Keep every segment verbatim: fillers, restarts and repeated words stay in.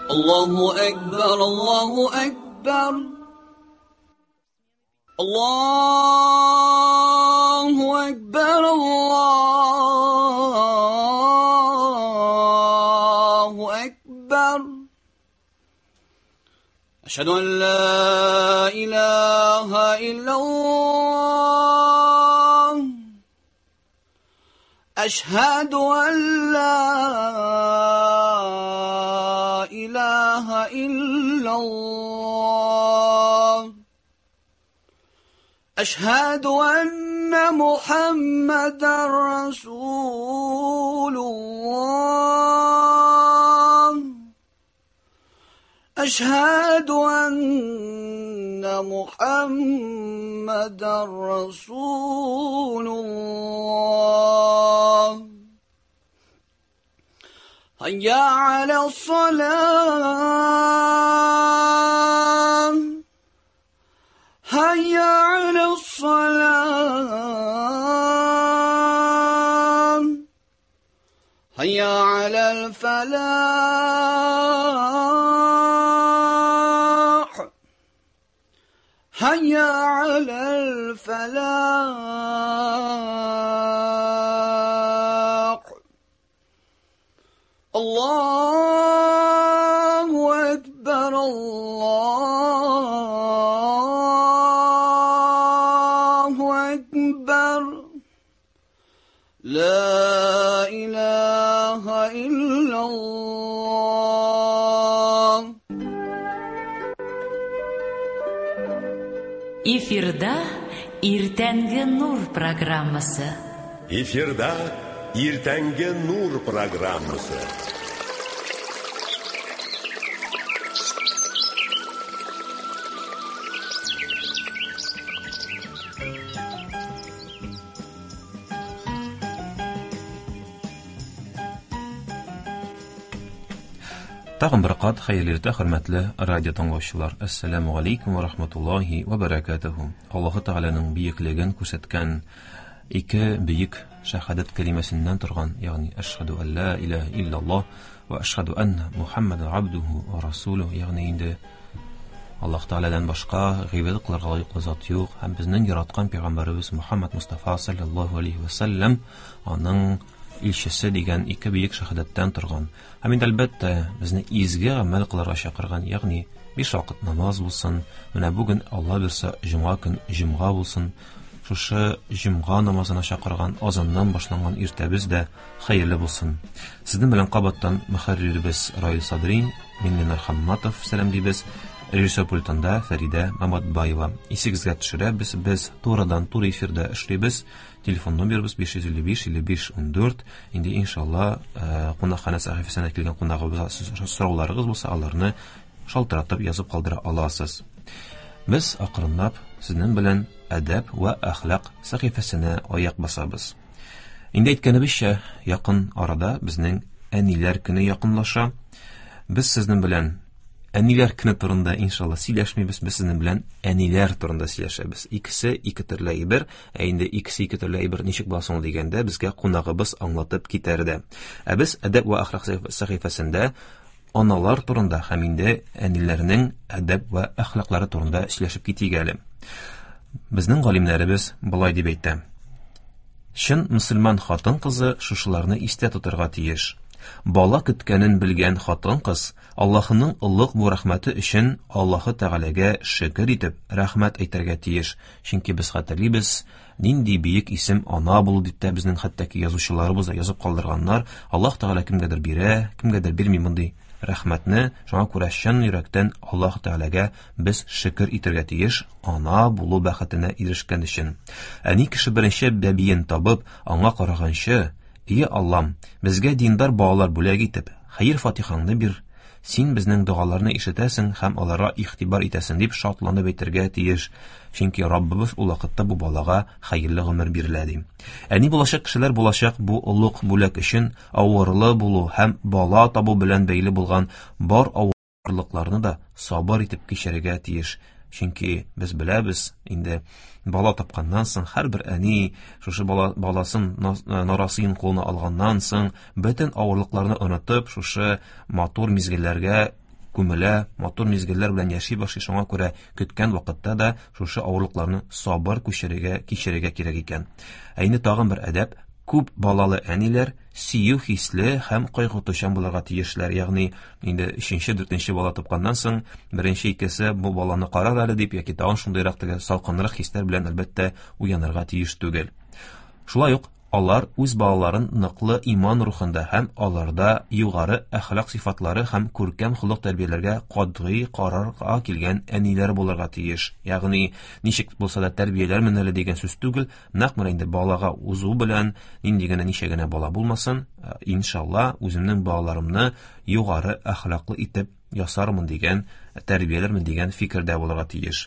الله أكبر الله أكبر الله أكبر الله أكبر أشهد أن لا إله إلا الله أشهد أن لا إله إلا الله أشهد أن محمدا رسول الله أشهد أن محمدا رسول الله هيا على الصلاة هيا على الصلاة هيا على الفلاح هيا على الفلاح الله أكبر الله أكبر لا إله إلا الله. Эфирда Иртәнге Нур программасы. Эфирда Иртәнге Нур программасы. Тагын бер кат хәерле иртә, хөрмәтле радио тыңлаучылар. Ассаламу алейкум ва рахматуллахи ва баракатуху. Аллаһы Тәгаләнең бөеклеген күрсәткән ике бөек шәһадәт кәлимәсеннән торган, ягъни әшһәду ан ла илаһа иллаллаһ ва әшһәду анна Мухаммадан абдуху ва расулуһу, ягъни инде Аллаһ Тәгаләдән башка гыйбадәт кылырга лаеклы зат юк һәм безнең яраткан пәйгамбәребез Мухаммад Мустафа саллаллаһу алейхи ва саллям аның илчесе дигән ике бөек шәһадәттән торган. Һәм инде әлбәттә безне изге гамәл кылырга чакырган, ягъни биш вакыт намаз булсын, менә бүген Алла бирсә җомга көн җомга булсын, шушы җомга намазына чакырган азаннан башланган иртәбез дә хәерле булсын. Сезнең белән кабаттан мөхәрриребез Раил Садрин, мин Ленар Хамматов сәламлибез. Режиссер пультында Фәридә Маматбаева. Исегезгә төшерәбез, без турыдан туры эфирда эшлибез. Телефон номерыбыз биш йөз илле биш илле биш ундүрт. Инде иншалла кунакханә сәхифәсенә килгән кунагыбызга сорауларыгыз булса, аларны шалтыратып язып калдыра аласыз. Без акрынлап сезнең белән әдәп ва әхлак сәхифәсенә аяк басабыз. Инде әйткәнебезчә, якын арада безнең әниләр көне якынлаша. Без сезнең белән әниләр көне турында иншалла сөйләшмибез, без сезнең белән әниләр турында сөйләшәбез. Икесе ике төрле әйбер, ә инде икесе ике төрле әйбер ничек була соң дигәндә безгә кунагыбыз аңлатып китәр дә. Ә без әдәп ва әхлак сәхифәсендә аналар турында һәм инде әниләрнең әдәп ва әхлаклары турында сөйләшеп китик әле. Безнең галимнәребез болай дип әйтә: чын мөселман хатын-кызы шушыларны истә тотарга тиеш. Бала көткәнен белгән хатын-кыз Аллаһының олуг бу рәхмәте өчен Аллаһы Тәгаләгә шөкер итеп рәхмәт әйтергә тиеш. Чөнки без хәтерлибез, нинди бөек исем ана булу дип тә безнең хәтта ки язучыларыбыз да язып калдырганнар. Аллаһ Тәгалә кемгәдер бирә, кемгәдер бирми мондый рәхмәтне. Шуңа күрә чын йөрәктән Аллаһ Тәгаләгә без шөкер итәргә тиеш ана булу бәхетенә ирешкән өчен. Әни кеше беренче бәбиен табып, аңа караганчы: "Ие Аллам, безгә диндар балалар бүләк итеп, хәер фатихаңны бир. Син безнең догаларны ишетәсең һәм аларга игътибар итәсең" дип шатланып әйтергә тиеш. Чөнки Раббыбыз ул вакытта бу балага хәерле гомер бирелә ди. Әни булачак кешеләр булачак бу олуг бүләк өчен авырлы булу һәм бала табу белән бәйле булган бар авырлыкларны да сабыр итеп кичерергә тиеш. Чөнки без беләбез, инде бала тапканнан соң һәрбер әни шушы бала, баласын нарасыен кулына алганнан соң бөтен авырлыкларны онытып, шушы матур мизгелләргә күмелә, матур мизгелләр белән яши башлый. Шуңа күрә көткән вакытта да шушы авырлыкларны сабыр күчерергә, кичерергә кирәк икән. Ә инде тагын бер әдәп: күп балалы әниләр сөю хисле һәм кайгыртучан булырга тиешләр. Ягъни инде өченче, дүртенче бала тапканнан соң беренче икесе бу баланы карар әле дип яки тагын шундыйрак теге салкынрак хисләр белән әлбәттә уянырга тиеш түгел. Шулай ук алар үз балаларын ныклы иман рухында һәм аларда югары әхлак сыйфатлары һәм күркәм холык тәрбияләргә катгый карарга килгән әниләр булырга тиеш. Ягъни ничек булса да тәрбияләрмен әле дигән сүз түгел, нәкъ менә инде балага узу белән нинди генә ничә генә бала булмасын, иншалла үземнең балаларымны югары әхлаклы итеп ясармын дигән, тәрбияләрмен дигән фикердә булырга тиеш.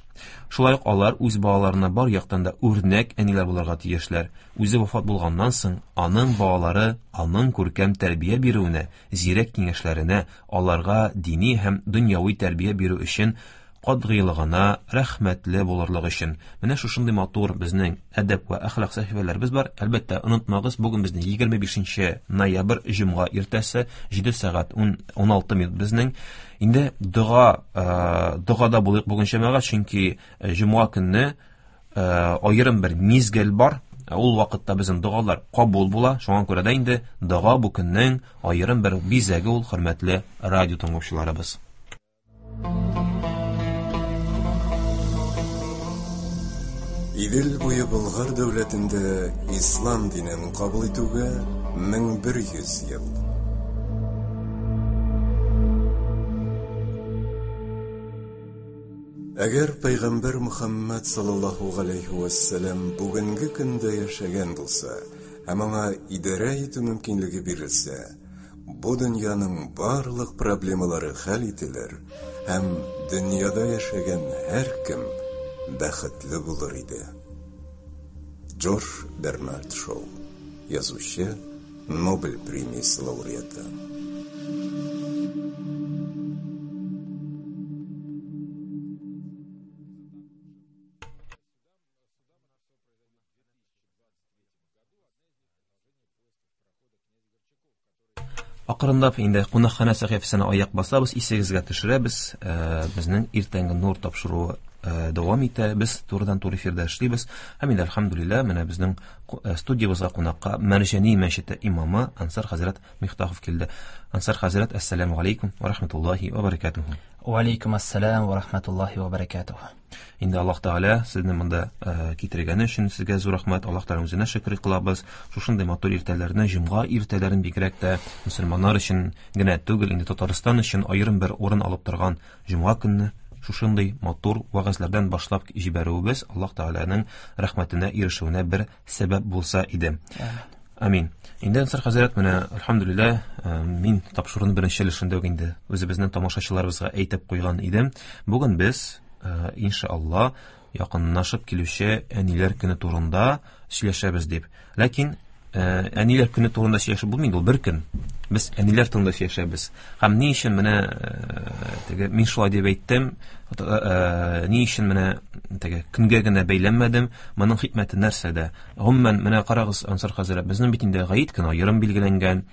Шулай ук алар үз балаларына бар яктан да үрнәк әниләр булырга тиешләр. Үзе вафат булганнан соң аның балалары аның күркәм тәрбия бирүенә, зирәк киңәшләренә, аларга дини һәм дөньяви тәрбия бирү өчен катгыйлыгына рәхмәтле булырлык өчен. Менә шушындый матур безнең әдәп вә әхлак сәхифәләребез бар. Әлбәттә, онытмагыз, бүген безнең егерме бишенче ноябрь җомга иртәсе җиде сәгать ун алты минут безнең. Инде дога, догада булыйк бүген җәмәгать, чөнки җомга көнне аерым бер мизгел бар. Ул вакытта безнең догалар кабул була. Шуңа күрә дә инде дога бу көннең аерым бер бизәге ул, хөрмәтле радио тыңлаучыларыбыз. Идел буе Болгар дәүләтендә ислам динен кабул итүгә мең бер йөз ел. Әгәр Пәйгамбәр Мөхәммәд саллаллаһу галәйһи вә сәлләм бүгенге көндә яшәгән булса һәм аңа идарә итү мөмкинлеге бирелсә, бу дөньяның барлык проблемалары хәл ителер һәм дөньяда яшәгән һәркем бәхетле булыр иде. Джордж Бернард Шоу, язучы, Нобель премиясе лауреаты. Акрынлап инде кунакханә сәхифәсенә аяк басабыз, исегезгә төшерәбез. Безнең иртәнге нур тапшыруы дәвам итә. Без турыдан-туры эфирда эшлибез. Һәм инде әлхәмдүлилләһ, менә безнең студиябызга кунакка Мәрҗани мәчете имамы Ансар хәзрәт Мифтахов килде. Ансар хәзрәт, ассаламу алейкум ва рахматуллаһи ва баракатуху. Ва алейкум ассалам ва рахматуллаһи ва баракатуху. Инде Аллаһ Тәгалә сезне монда китергәне өчен сезгә зур рәхмәт. Аллаһ Тәгалә үзенә шөкер кылабыз. Шушындый матур иртәләрне, җомга иртәләрен бигрәк тә мөселманнар өчен генә түгел, инде Татарстан өчен аерым бер урын алып торган җомга көнне шушындый матур вәгазьләрдән башлап җибәрүебез Аллаһ Тәгаләнең рәхмәтенә ирешүенә бер сәбәп булса иде. Амин. Инде Ансар хәзрәт, менә әлхәмдүлилләһ, мин тапшыруның беренче өлешендә үк инде үзебезнең тамашачыларыбызга әйтеп куйган идем. Бүген без, иншалла, якынлашып килүче әниләр көне турында сөйләшәбез дип. Ләкин әниләр көне турында сөйләшеп булмый инде, ул бер көн. Без әниләр турында сөйләшәбез. Һәм ни өчен менә теге мин шулай дип әйттем, ни өчен менә теге көнгә генә бәйләнмәдем, моның хикмәте нәрсәдә? Гомумән, менә карагыз, Ансар хәзрәт, безнең бит инде гаит көне аерым билгеләнгән,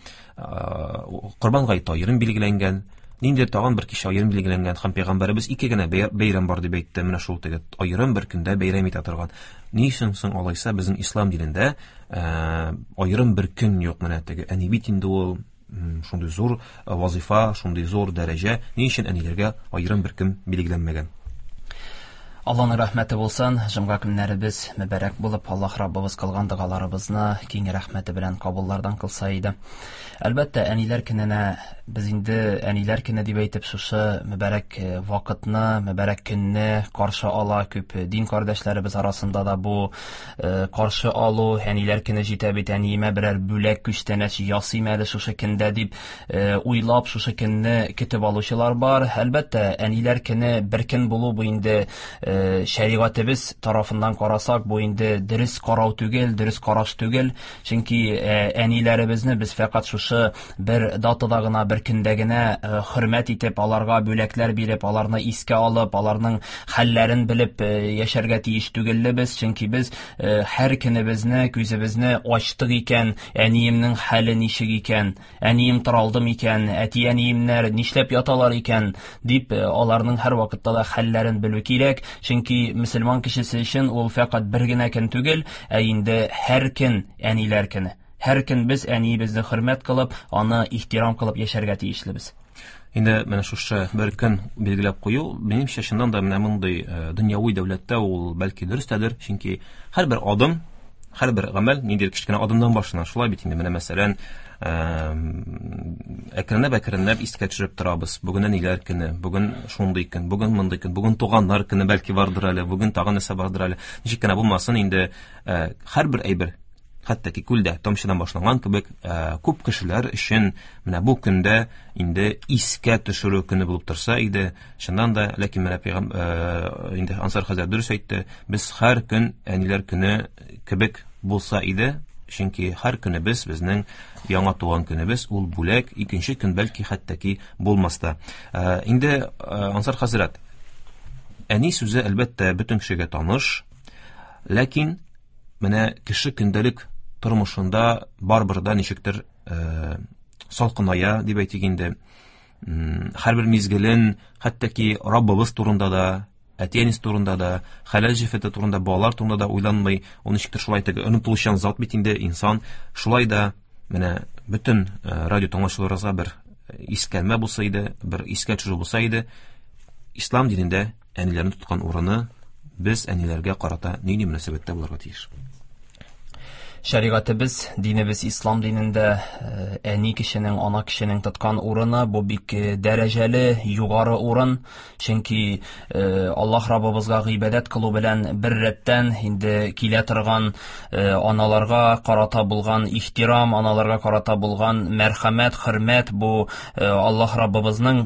Корбан гаете аерым билгеләнгән, Ниндидер тагын бер кичә аерым билгеләнгән һәм пәйгамбәребез ике генә бәйрәм бар дип әйтте. Менә шул теге аерым бер көндә бәйрәм итә торган. Ни өчен соң алайса безнең ислам динендә аерым бер көн юк? Менә теге әни бит инде ул шундый зур вазифа, шундый зур дәрәҗә. Ни өчен әниләргә аерым бер көн билгеләнмәгән? Аллаһның рәхмәте булсын, җомга көннәребез мөбарәк булып, Аллаһ Раббыбыз кылган догаларыбызны киң рәхмәте белән кабуллардан кылса иде. Әлбәттә, әниләр көненә без инде әниләр көне дип әйтеп шушы мөбарәк вакытны, мөбарәк көнне каршы ала күп дин кардәшләребез арасында да бу каршы алу, әниләр көне җитә бит, әниемә берәр бүләк күчтәнәч ясыйм әле шушы көндә дип уйлап шушы көнне көтеп алучылар бар. Әлбәттә, әниләр көне бер көн булу бу инде Шәригатебез тарафыннан карасак, бу инде дөрес карау түгел, дөрес караш түгел. Чөнки әниләребезне без фәкать шушы бер датада гына, бер көндә генә хөрмәт итеп, аларга бүләкләр биреп, аларны искә алып, аларның хәлләрен белеп яшәргә тиеш түгелбез. Чөнки без һәр көнебезне, күзебезне ачтык икән, әниемнең хәле ничек икән, әнием таралдым икән, әти-әниемнәр нишләп яталар икән дип аларның һәр вакытта да хәлләрен белү кирәк. Чөнки мөселман кешесе өчен ул фәкать бер генә көн түгел, ә инде һәр көн әниләр көне. Һәр көн без әниебезне хөрмәт кылып, аны ихтирам кылып яшәргә тиешлебез. Инде менә шушы бер көн билгеләп кую, минемчә, чыннан да менә мондый дөньяви дәүләттә ул бәлки дөрестәдер, чөнки һәрбер адым, һәрбер гамәл ниндидер кечкенә адымнан башлана. Шулай бит инде, менә мәсәлән, әкренләп әкренләп искә төшереп торабыз. Бүген әниләр көне, бүген шундый көн, бүген мондый көн, бүген туганнар көне бәлки бардыр әле, бүген тагын нәрсә бардыр әле. Ничек кенә булмасын, инде һәрбер әйбер, хәтта ки күлдә тамчыдан башланган кебек, күп кешеләр өчен менә бу көндә инде искә төшерү көне булып торса иде. Чыннан да, ләкин менә пәйгам инде Ансар хәзрәт дөрес әйтте, без һәр көн әниләр көне кебек булса иде, чөнки һәр көнебез безнең яңа туган көнебез, ул бүләк, икенче көн бәлки хәтта ки булмас та. Инде Ансар хәзрәт, әни сүзе әлбәттә бөтен кешегә таныш, ләкин менә кеше көндәлек тормышында барбер да ничектер э, салкыная дип әйтик инде. Һәрбер мизгелен, хәтта ки Раббыбыз турында да, әти-әнисе турында да, хәләл җефете турында, балалар турында да уйланмый. Ул ничектер шулай теге онытылучан зат бит инде инсан. Шулай да менә бөтен радио тыңлаучыларыбызга бер искәрмә булса иде, бер искә төшерү булса иде, ислам динендә әниләрне тоткан урыны, без әниләргә карата нинди мөнәсәбәттә булырга тиеш? Шәригатебез, динебез ислам динендә әни кешенең, ана кешенең тоткан урыны бу бик дәрәҗәле, югары урын. Чөнки Аллаһ Раббыбызга гыйбадәт кылу белән бер рәттән инде килә торган аналарга карата булган ихтирам, аналарга карата булган мәрхәмәт, хөрмәт бу Аллаһ Раббыбызның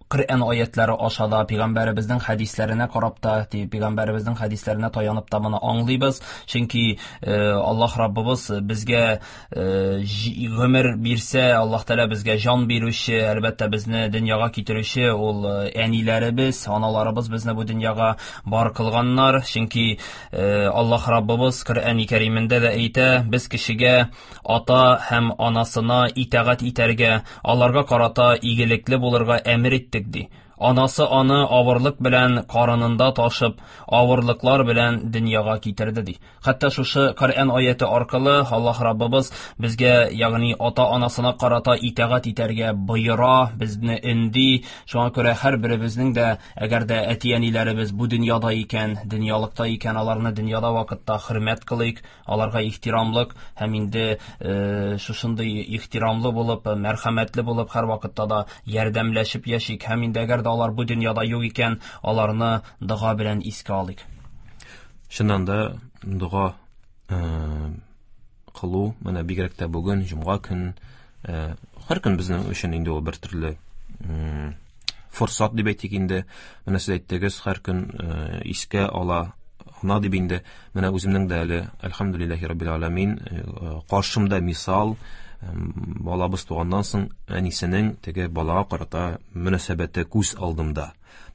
Коръән аятлары аша да, пәйгамбәребезнең хәдисләренә карап та, пәйгамбәребезнең хәдисләренә таянып та моны аңлыйбыз. Чөнки Аллаһ Раббыбыз безгә гомер бирсә, Аллаһ Тәгалә безгә җан бирүче, әлбәттә безне дөньяга китерүче ул әниләребез, аналарыбыз безне бу дөньяга бар кылганнар. Чөнки Аллаһ Раббыбыз Коръән-и Кәримендә дә әйтә, без кешегә ата һәм анасына итагать итәргә, аларга карата игелекле булырга әмер иттек ди. Анасы аны авырлык белән карынында ташып, авырлыклар белән дөньяга китерде ди. Хәтта шушы Коръән аяты аркылы Аллаһ Раббыбыз безгә, ягъни ата-анасына карата итагать итәргә боера, безне өнди. Шуңа күрә һәр беребезнең дә, әгәр дә әти-әниләребез бу дөньяда икән, дөньялыкта икән, аларны дөньяда вакытта хөрмәт кылыйк, аларга ихтирамлык һәм инде шушындый ихтирамлы булып, мәрхәмәтле булып һәр вакытта да ярдәмләшеп яшик. Һәм инде әгәр дә алар бу дөньяда юк икән, аларны дога белән искә алыйк. Чыннан да дога кылу, менә бигрәк тә бүген җомга көн, һәр көн безнең өчен инде ул бер төрле форсат дип әйтик инде. Менә сез әйттегез, һәр көн искә ала ана дип инде. Менә үземнең дә әле, әлхәмдүлилләһи раббил аламин, каршымда мисал, балабыз туганнан соң әнисенең теге балага карата мөнәсәбәте күз алдымда.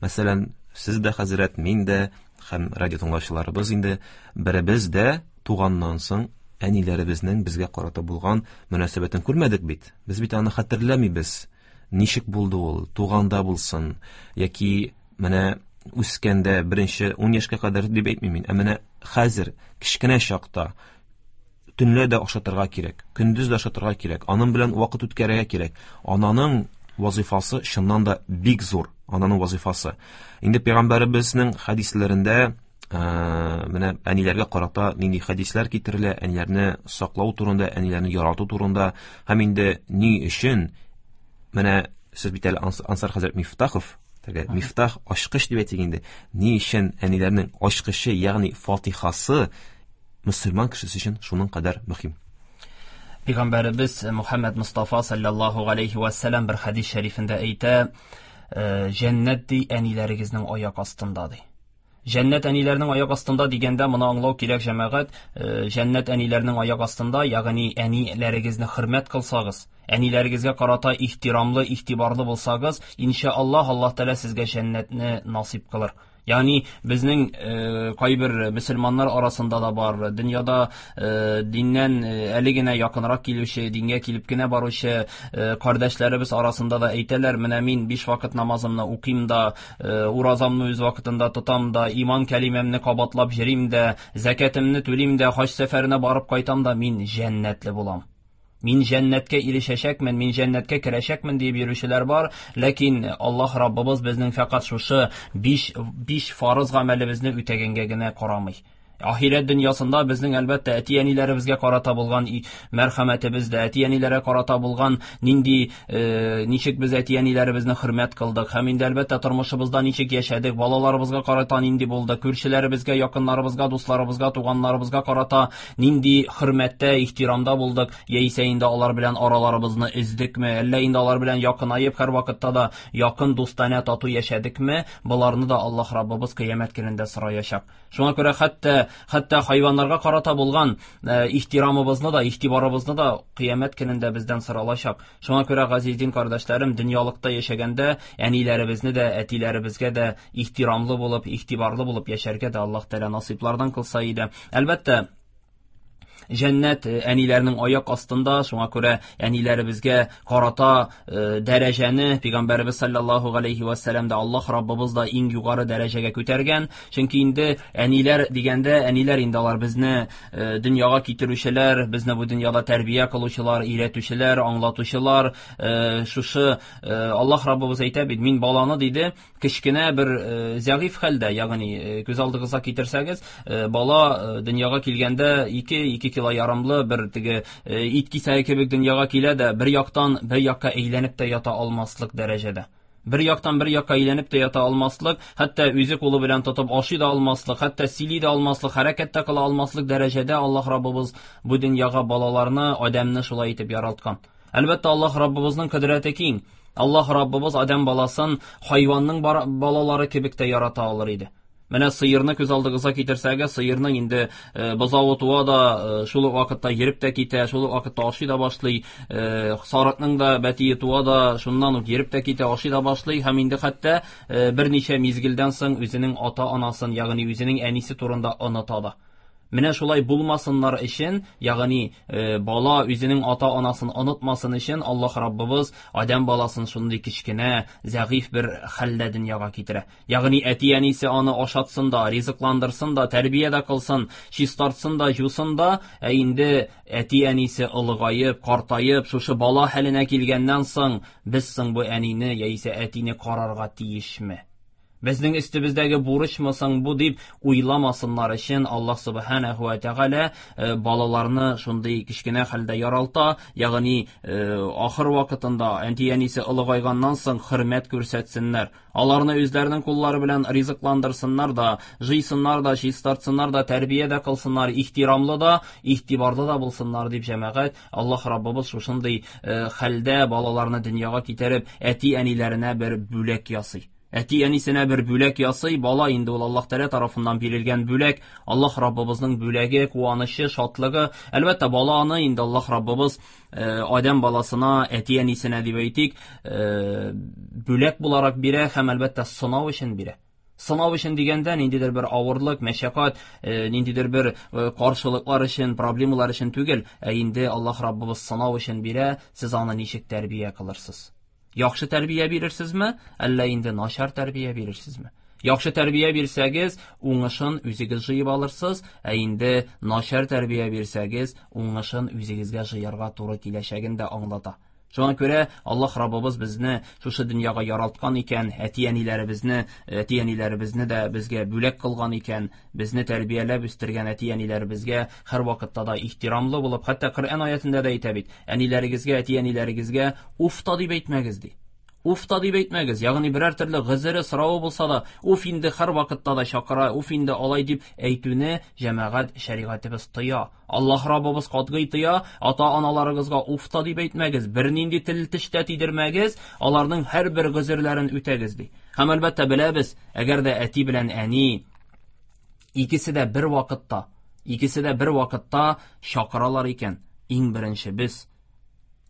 Мәсәлән, сез дә хәзрәт, мин дә һәм радио тыңлаучыларыбыз инде беребез дә туганнан соң әниләребезнең безгә карата булган мөнәсәбәтен күрмәдек бит. Без бит аны хәтерләмибез. Ничек булды ул, туганда булсын яки менә үскәндә беренче ун яшькә кадәр дип әйтмим мин, ә менә хәзер кечкенә чакта төнлә дә ашатырга кирәк, көндез дә ашатырга кирәк, аның белән вакыт үткәрергә кирәк. Ананың вазифасы чыннан да бик зур, ананың вазифасы. Инде пәйгамбәребезнең хәдисләрендә менә әниләргә карата нинди хәдисләр китерелә, әниләрне саклау турында, әниләрне ярату турында һәм инде ни өчен менә сез бит әле Ансар хәзрәт Мифтахов, теге Мифтах ачкыч дип әйтик инде, ни өчен әниләрнең ачкычы, ягъни фатихасы мөселман кешесе өчен шуның кадәр мөһим? Пәйгамбәребез Мухаммад Мустафа саллаллаһу алейхи ва саллям бер хәдис шәрифендә әйтә: җәннәт ди әниләрегезнең аяк астында ди. Җәннәт әниләрнең аяк астында дигәндә моны аңлау кирәк, җәмәгать. Җәннәт әниләрнең аяк астында, ягъни әниләрегезне хөрмәт кылсагыз, әниләрегезгә карата ихтирамлы, игътибарлы булсагыз, иншаллаһ Аллаһ Тәгалә сезгә җәннәтне насыйп кылыр. Ягъни безнең э, кайбер мөселманнар арасында да бар, дөньяда э, диннән әле генә якынрак килүче, дингә килеп кенә баручы э, кардәшләребез арасында да әйтәләр, менә мин биш вакыт намазымны укыйм да, э, уразамны үз вакытында тотам да, иман кәлимәмне кабатлап йөрим дә, зәкәтемне түлим дә, хаҗ сәфәренә барып кайтам да, мин җәннәтле булам. Мин җәннәткә ирешәчәкмен, мин җәннәткә керәчәкмен дип йөрүчеләр бар, ләкин Аллаһ Раббыбыз безнең фәкать шушы биш биш фарыз гамәлебезне үтәгәнгә генә карамый. Ахирәт дөньясында безнең әлбәттә әти-әниләребезгә карата булган мәрхәмәтебез дә, әти-әниләргә карата булган нинди э, ничек без әти-әниләребезне хөрмәт кылдык һәм инде әлбәттә тормышыбызда ничек яшәдек, балаларыбызга карата нинди булды, күршеләребезгә, якыннарыбызга, дусларыбызга, туганнарыбызга карата нинди хөрмәттә, ихтирамда булдык, яисә инде алар белән араларыбызны өздекме, әллә инде алар белән якынаеп һәр вакытта да якын дустанә тату яшәдекме, боларны да Аллаһ Раббыбыз кыямәт көнендә сораячак. Шуңа күрә хәтта хәтта хайваннарга карата булган э, ихтирамыбызны да, игътибарыбызны да кыямәт көнендә бездән соралачак. Шуңа күрә, газиз дин кардәшләрем, дөньялыкта яшәгәндә әниләребезне дә, әтиләребезгә дә ихтирамлы булып, игътибарлы булып яшәргә дә Аллаһ Тәгалә насыйплардан кылса иде. Әлбәттә, җәннәт әниләрнең аяк астында, шуңа күрә әниләребезгә карата э, дәрәҗәне Пәйгамбәребез саллаллаһу галәйһи ва сәлләм дә, Аллаһ Раббыбыз да иң югары дәрәҗәгә күтәргән. Чөнки инде әниләр дигәндә, әниләр инде алар безне э, дөньяга китерүчеләр, безне бу дөньяда тәрбия кылучылар, өйрәтүчеләр, аңлатучылар. Э, шушы э, Аллаһ Раббыбыз әйтә бит, мин баланы диде, кечкенә бер э, зәгыйфь хәлдә, ягъни э, күз алдыгызга китерсәгез, э, бала э, дөньяга килгәндә ике ике кило ярымлы бер теге э, ит кисәге кебек дөньяга килә дә, бер яктан бер якка әйләнеп тә ята алмаслык дәрәҗәдә. Бер яктан бер якка әйләнеп тә ята алмаслык, хәтта үзе кулы белән тотып ашый да алмаслык, хәтта сөйли дә алмаслык, хәрәкәт тә кыла алмаслык дәрәҗәдә Аллаһ Раббыбыз бу дөньяга балаларны, адәмне шулай итеп яралткан. Әлбәттә, Аллаһ Раббыбызның кодрәте киң. Аллаһ Раббыбыз адәм баласын хайванның балалары кебек тә ярата алыр иде. Менә сыерны күз алдыгызга китерсәгез, сыерның инде э, бозавы туа да, э, шул ук вакытта йөреп тә китә, шул ук вакытта ашый да башлый. Э, сарыкның да бәтие туа да, шуннан ук йөреп тә китә, ашый да башлый һәм инде хәтта э, берничә мизгелдән соң үзенең ата-анасын, ягъни үзенең әнисе турында оныта да. Менә шулай булмасыннар өчен, ягъни э, бала үзенең ата-анасын онытмасын өчен Аллаһ Раббыбыз адәм баласын шундый кечкенә, зәгыйфь бер хәлдә дөньяга китерә. Ягъни әти-әнисе аны ашатсын да, ризыкландырсын да, тәрбия дә кылсын, чистартсын да, юсын да, ә инде әти-әнисе олыгаеп, картаеп, шушы бала хәленә килгәннән соң, без соң бу әнине яисә әтине карарга тиешме? Безнең өстебездәге бурычмы соң бу дип уйламасыннар өчен Аллаһ субханаһу ва тәгалә балаларны шундый кечкенә хәлдә яралта, ягъни ахыр вакытында әти-әнисе олыгайганнан соң хөрмәт күрсәтсеннәр. Аларны үзләренең куллары белән ризыкландырсыннар да, җыйсыннар да, чистартсыннар да, тәрбия дә кылсыннар, ихтирамлы да, игътибарлы да булсыннар дип җәмәгать, Аллаһ Раббыбыз шушындый хәлдә балаларны дөньяга китереп, әти-әниләренә бер бүләк ясый. Әти-әнисенә бер бүләк ясый, бала инде ул Аллаһ Тәгалә тарафыннан бирелгән бүләк, Аллаһ Раббыбызның бүләге, куанычы, шатлыгы. Әлбәттә, баланы инде Аллаһ Раббыбыз адәм баласына, әти-әнисенә дип әйтик, бүләк буларак бирә һәм әлбәттә сынау өчен бирә. Сынау өчен дигәндә ниндидер бер авырлык, мәшәкать, ниндидер бер каршылыклар өчен, проблемалар өчен түгел, ә инде Аллаһ Раббыбыз сынау өчен бирә, сез аны ничек тәрбия кылырсыз? Яхшы тәрбия бирерсезме, әллә инде начар тәрбия бирерсезме? Яхшы тәрбия бирсәгез, уңышын үзегез җыеп алырсыз, ә инде начар тәрбия бирсәгез, уңышын үзегезгә җыярга туры киләчәген дә аңлата. Шуңа күрә Аллаһ Раббыбыз безне шушы дөньяга яралткан икән, әти-әниләребезне, әти-әниләребезне дә безгә бүләк кылган икән, безне тәрбияләп үстергән әти-әниләребезгә һәр вакытта да ихтирамлы булып, хәтта Коръән аятында да әйтә бит, әниләрегезгә, әти-әниләрегезгә уф та дип әйтмәгез ди. Уф та дип әйтмәгез. Ягъни берәр төрле гозере соравы булса да, уф инде һәр вакытта да чакыра, уф инде алай дип әйтүне җәмәгать шәригатебез тыя. Аллаһ Раббыбыз катгый тыя, ата-аналарыгызга уф та дип әйтмәгез, бернинди тел тештә тидермәгез, аларның һәрбер гозерләрен үтәгез ди. Һәм әлбәттә беләбез, әгәр дә әти белән әни икесе дә бер вакытта, икесе дә бер вакытта чакыралар икән, иң беренче без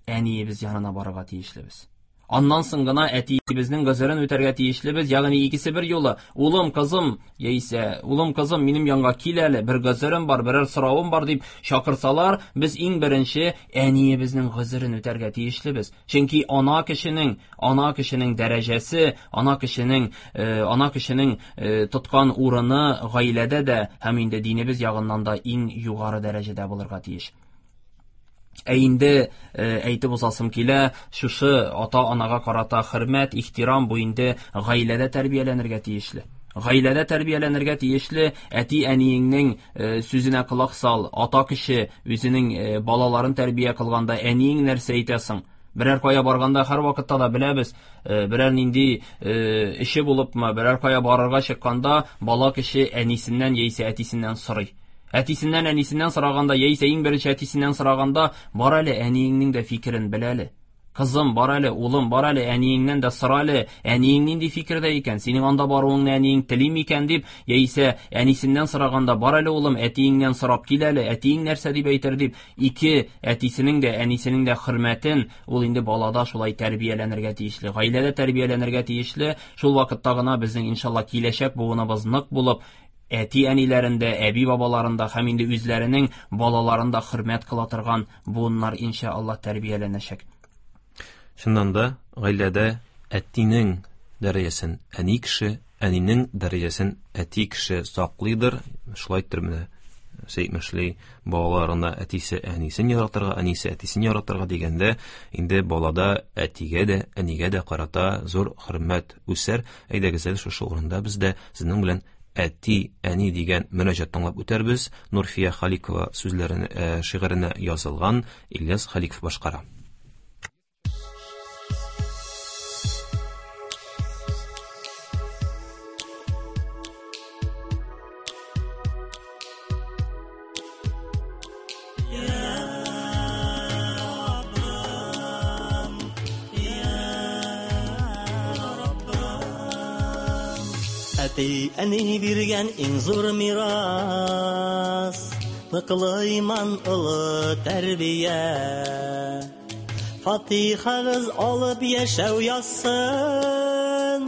әниебез янына барырга тиешлебез. Аннан соң гына әтиебезнең гозерен үтәргә тиешлебез, ягъни икесе бер юлы, улым, кызым, яисә улым, кызым, минем янга кил әле, бер гозерем бар, берәр соравым бар дип чакырсалар, без иң беренче әниебезнең гозерен үтәргә тиешлебез. Чөнки ана кешенең, ана кешенең дәрәҗәсе, ана кешенең, ана кешенең тоткан урыны гаиләдә дә һәм инде динебез ягыннан да иң югары дәрәҗәдә булырга тиеш. Ә инде әйтеп узасым килә, шушы ата-анага карата хөрмәт, ихтирам бу инде гаиләдә тәрбияләнергә тиешле. Гаиләдә тәрбияләнергә тиешле, әти-әниеңнең сүзенә колак сал, ата кеше үзенең балаларын тәрбия кылганда әниең нәрсә әйтәсең? Берәр кая барганда һәр вакытта да беләбез, берәр нинди эше булыпмы, берәр кая барырга чыкканда бала кеше әнисеннән яисә әтисеннән сорый. Әтисеннән, әнисеннән сораганда, яисә иң беренче әтисеннән сораганда, бар әле әниеңнең дә фикерен бел әле. Кызым, бар әле, улым, бар әле, әниеңнән дә сора әле, әниең нинди фикердә икән, синең анда баруыңны әниең тели микән дип, яисә әнисеннән сораганда, бар әле улым, әтиеңнән сорап кил әле, әтиең нәрсә дип әйтер дип, ике әтисенең дә, әнисенең дә хөрмәтен ул инде балада шулай тәрбияләнергә тиешле, гаиләдә тәрбияләнергә тиешле. Шул вакытта гына безнең иншалла киләчәк буыныбыз нык булып, әти-әниләрендә, әби-бабаларында һәм инде үзләренең балаларында хөрмәт кыла торган буыннар иншалла тәрбияләнәчәк. Чыннан да гаиләдә әтинең дәрәҗәсен әни кеше, әнинең дәрәҗәсен әти кеше саклыйдыр. Шулай итеп менә әйтмешли, балаларына әтисе әнисен яратырга, әнисе әтисен яратырга дигәндә, инде балада әтигә дә, әнигә дә карата зур хөрмәт үсәр. Әйдәгез әле шушы урында без дә сезнең белән әти, әни дигән мөнәҗәт тыңлап үтәрбез. Нурфия Халикова сүзләренә, шигыренә язылган, Ильяс Халиков башкара. Әти әни биргән иң зур мирас, ныклы иман, олы тәрбия. Фатихагыз алып яшәү язсын,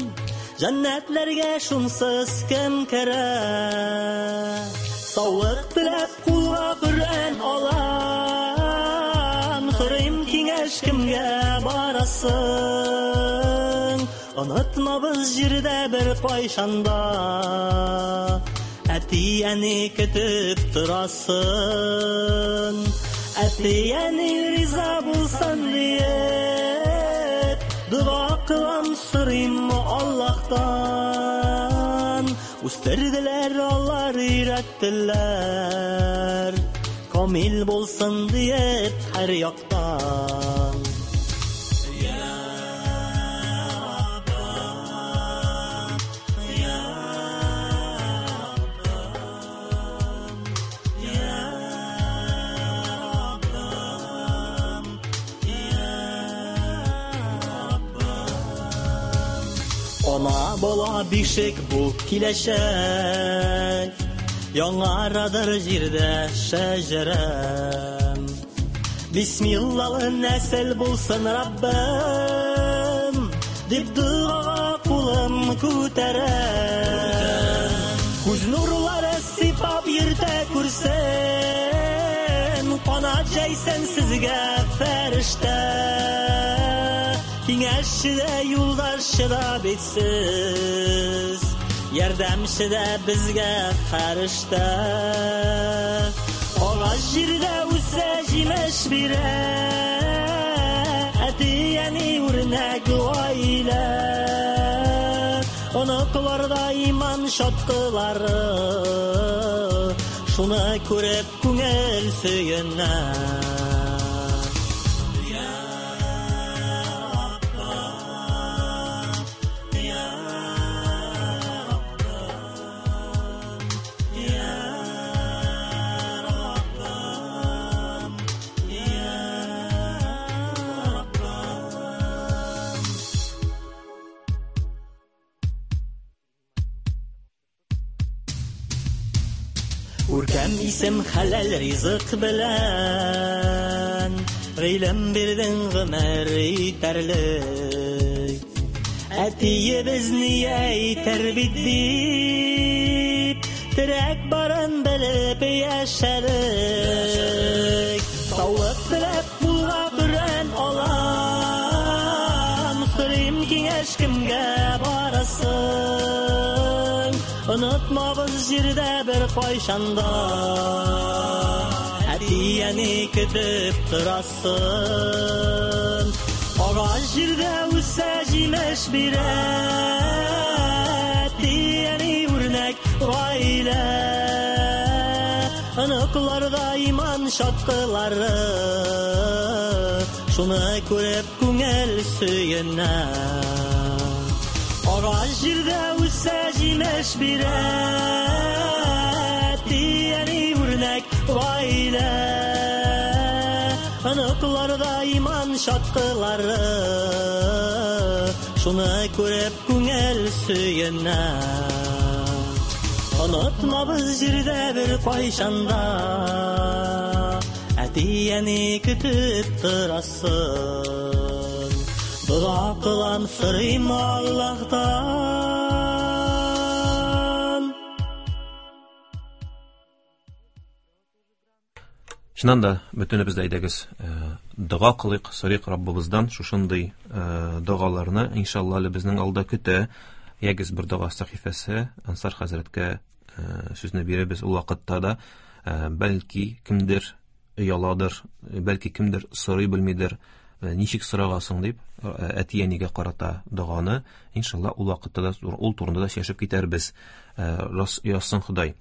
җәннәтләргә шунсыз кем керә? Саулык теләп кулга Коръән алам, сорыйм киңәш кемгә барасың? Онытмабыз җирдә бер кайчанда, әти-әни көтеп торасын. Әти-әни риза булсын диеп, дога кылам, сорыйм Аллаһтан. Үстерделәр алар, өйрәттеләр, камил булсын диеп һәр яктан. Ана бала бишек бу киләчәк, яңарадыр җирдә шәҗәрәм. Бисмиллалы нәсел булсын Раббым, дип догага кулым күтәрәм. Күз нурлары сыйпап йөртә күрсен, канат җәйсен сезгә фәрештә. Киңәшче дә, юлдашчы да бит сез, ярдәмче дә безгә фәрештә. Агач җирдә үсә, җимеш бирә, әти-әни үрнәк гаилә. Оныкларда иман чаткылары, шуны күреп күңел сөенә. Күркәм исем хәләл ризык белән, гыйлем бирдең гомер итәрлек. Әтиебез ни әйтер бит дип, терәк барын белеп яшәдек. Саулык теләп кулга Коръән алам, сорыйм киңәш кемгә барасың. Онытмабыз җирдә бер кайчанда, әти-әни көтеп торасың. Агач җирдә үсә җимеш бирә, әти-әни үрнәк гаилә. Оныкларда иман чаткылары, шуны күреп күңел сөенә. Агач җирдә үсә җимеш бирә, әти-әни үрнәк гаилә. Оныкларда иман чаткылары, шуны күреп күңел сөенә. Онытмабыз җирдә бер кайчанда, әти-әни көтеп торасың. Дога кылам, сорыйм Аллаһтан. Чыннан да бөтенебез дә әйдәгез, дога кылыйк, сорыйк Раббыбыздан шушындый догаларны, иншалла, әле безнең алда көтә. Ягез бер дога сәхифәсе, Ансар хәзрәткә сүзне бирәбез. Ул вакытта да бәлки кемдер ояладыр, бәлки кемдер сорый белмидер, ничек сорагасың дип әти-әнигә карата доганы, иншалла, ул вакытта да ул турында да сөйләшеп китәрбез. Язсын Ходай.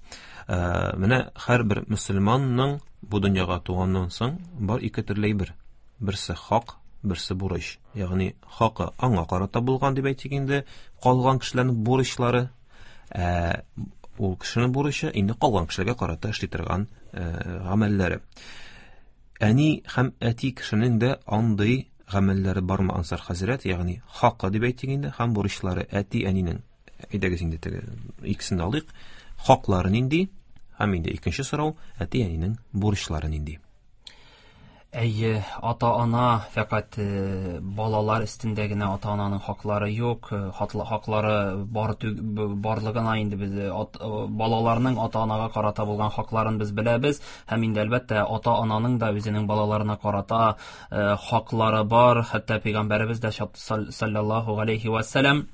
Менә һәрбер мөселманның бу дөньяга туганнан соң бар ике төрле әйбер. Берсе хак, берсе бурыч. Ягъни хакы аңа карата булган дип әйтик инде, калган кешеләрнең бурычлары, ә ул кешенең бурычы инде калган кешеләргә карата эшли торган гамәлләре. Әни һәм әти кешенең дә андый гамәлләре бармы, Ансар хәзрәт? Ягъни хакы дип әйтик инде һәм бурычлары әти-әнинең. Әйдәгез инде теге икесен алыйк. Хаклары нинди? Һәм инде икенче сорау, әти-әнинең бурычлары нинди? Әйе, ата-ана фәкать балалар өстендә генә ата-ананың хаклары юк, хаклары бар барлыгына инде без балаларның ата-анага карата булган хакларын без беләбез, һәм инде әлбәттә ата-ананың да үзенең балаларына карата хаклары бар. Хәтта пәйгамбәребез дә саллаллаһу алейхи ва саллям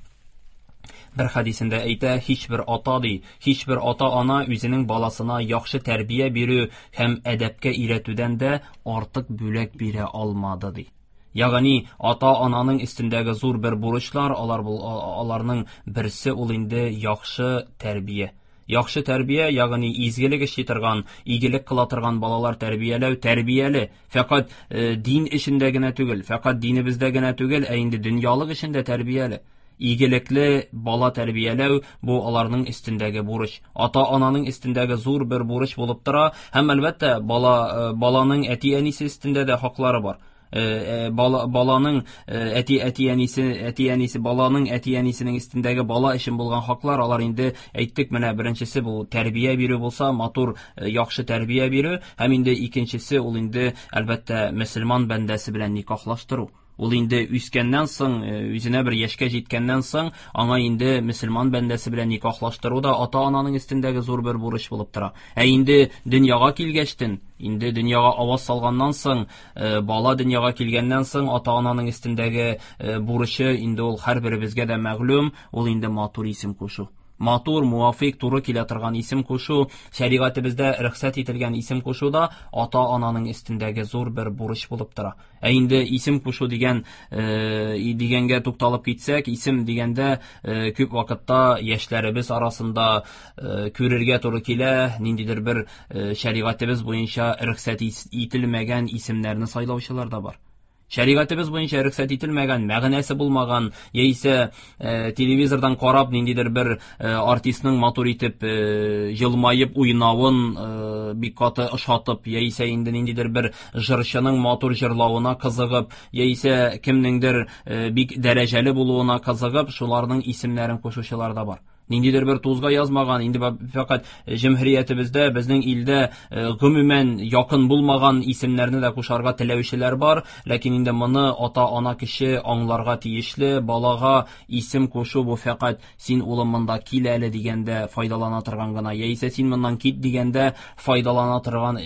бер хәдисендә әйтә, һичбер ата ди, һичбер ата-ана үзенең баласына яхшы тәрбия бирү һәм әдәпкә өйрәтүдән дә артык бүләк бирә алмады ди. Ягъни ата-ананың өстендәге зур бер бурычлар, алар аларның берсе ул инде яхшы тәрбия. Яхшы тәрбия, ягъни изгелек эшли торган, игелек кыла торган балалар тәрбияләү, тәрбияле. Фәкать э, дин эшендә генә түгел, фәкать динебездә генә түгел, ә инде дөньялык эшендә тәрбияле. Игелекле бала тәрбияләү бу аларның өстендәге бурыч. Ата-ананың өстендәге зур бер бурыч булып тора, һәм әлбәттә бала баланың әти-әнисе өстендә дә хаклары бар. Бала, баланың әти әти-әнисе әти-әнисе баланың әти-әнисенең өстендәге бала өчен булган хаклар, алар инде әйттек, менә беренчесе бу тәрбия бирү булса, матур яхшы тәрбия бирү, һәм инде икенчесе ул инде әлбәттә мөселман бәндәсе белән никахлаштыру. Ул инде үскәннән соң, үзенә бер яшькә җиткәннән соң, аңа инде мөселман бәндәсе белән никахлаштыру да ата-ананың өстендәге зур бер бурыч булып тора. Ә инде дөньяга килгәчтен, инде дөньяга аваз салганнан соң, бала дөньяга килгәннән соң ата-ананың өстендәге бурычы инде ул һәрберебезгә дә мәгълүм, ул инде матур исем кушу. Матур, муафик, туры килә торган исем кушу, шәригатебездә рөхсәт ителгән исем кушу да ата-ананың өстендәге зур бер бурыч булып тора. Ә инде исем кушу дигән э, дигәнгә тукталып китсәк, исем дигәндә э, күп вакытта яшьләребез арасында э, күрергә туры килә, ниндидер бер э, шәригатебез буенча рөхсәт ителмәгән исемнәрне сайлаучылар да бар. Шәригатебез буенча рөхсәт ителмәгән, мәгънәсе булмаган, яисә э, телевизордан карап ниндидер бер э, артистның матур итеп э, елмаеп уйнавын э, бик каты ошатып, яисә инде ниндидер бер җырчының матур җырлавына кызыгып, яисә кемнеңдер э, бик дәрәҗәле булуына кызыгып, шуларның исемнәрен кушучылар да бар. Ниндидер бер тузга язмаган, инде фәкать җөмһүриятебездә, безнең илдә гомумән якын булмаган исемнәрне дә кушарга теләүчеләр бар, ләкин инде моны ата-ана кеше аңларга тиешле. Балага исем кушу бу фәкать син улым монда кил әле дигәндә файдалана торган гына, яисә син моннан кит дигәндә файдалана торган